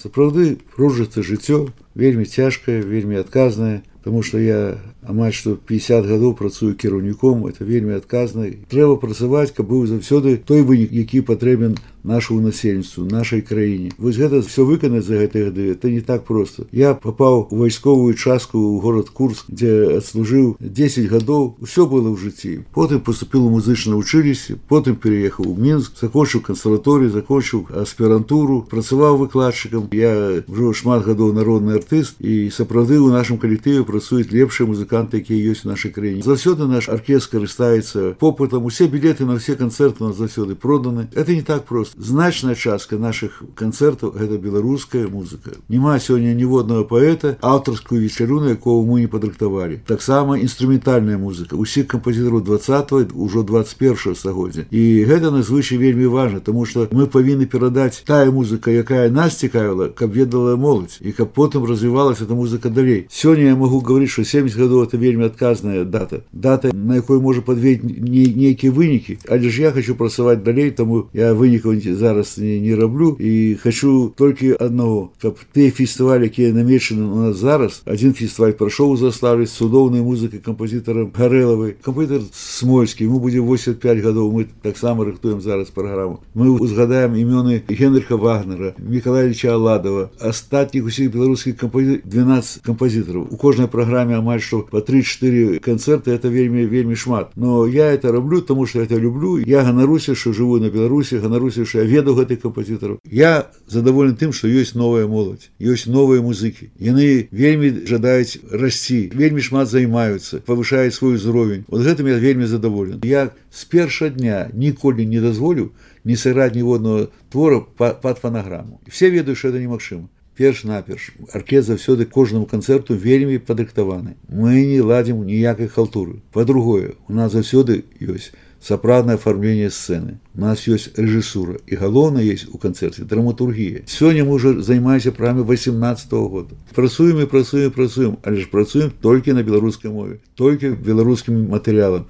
Сапраўды пружыцца жыццё, вельмі цяжкае, вельмі адказнае, таму што я амаль што 50 гадоў працую кіраўніком, это вельмі адказна. Трэба працаваць, каб быў заўсёды той вынік, які патрэбен нашаму насельніцтву, нашай краіне. Вось гэта все выканаць за гэтыя гады, это не так проста. Я папаў у вайсковую частку ў горад Курск, дзе адслужыў 10 гадоў, усё было ў жыцці. Потым паступіў у музычнае ўчылішча, потым пераехаў у Мінск, закончыў кансерваторыю, закончыў аспірантуру, працаваў выкладчыкам. Я ўжо шмат гадоў народны артыст, і сапраўды ў нашым калектыве працуюць лепшыя музыканты, якія ёсць у нашай краіне. Заўсёды наш аркестр карыстаецца попытам, усе білеты на ўсе канцэрты у нас заўсёды проданы. Это не так проста. Значная частка нашых канцэртаў гэта беларуская музыка. Няма сёння ніводнага паэта, аўтарскую вечару, на якого мы не падрыхтавалі. Таксама інструментальная музыка усіх кампазітараў 20-го, ўжо 21-го стагоддзя. І гэта надзвычай вельмі важна, таму што мы павінны перадаць тая музыка, якая нас цікавіла, каб ведала моладзь, і каб потым развівалася эта музыка далей. Сёння я магу гаварыць, што 70 гадоў это вельмі адказная дата. Дата, на якой можа падвесці нейкія вынікі. Але ж я хочу працаваць далей, таму я вынікаў зараз не раблю, і хочу толькі аднаго, каб тыя фестывалі, якія намечаны у нас зараз, адзін фестываль прайшоў у Заслаўлі з цудоўнай музыкай кампазітарам Гарэлавай, кампазітар Смольскі, ему будзе 85 гадоў, мы таксама рыхтуем зараз праграму. Мы узгадаем імёны Генрыха Вагнера, Мікалаевіча Аладова, астатніх усіх беларускіх 12 кампазітараў. У кожнай праграме амаль што па 3-4 канцэрты, это вельмі шмат. Но я это раблю, таму што это люблю. Я ганаруся, што жыву на Беларусі, ганаруся, што я веду гэтых кампазітараў. Я задаволены тым, што ёсць новая моладзь, ёсць новыя музыкі. Яны вельмі жадаюць расці, вельмі шмат займаюцца, павышаюць свой узровень. Вот гэтым я вельмі задаволены. Я з першага дня ніколі не дазволю не сыграць ніводнага твора пад фанаграму. Все ведаюць, што гэта немагчыма. Перш-наперш, аркестр заўсёды кожнаму канцэрту вельмі падрыхтаваны. Мы не ладзім ніякай халтуры. Па-другое, у нас заўсёды ёсць сапраўднае афармленне сцэны. У нас ёсць рэжысура, і галоўнае ёсць у канцэрце драматургія. Сёння мы ўжо займаемся праграмай 18-го года. Працуем, але ж працуем толькі на беларускай мове, толькі беларускім матэрыялам.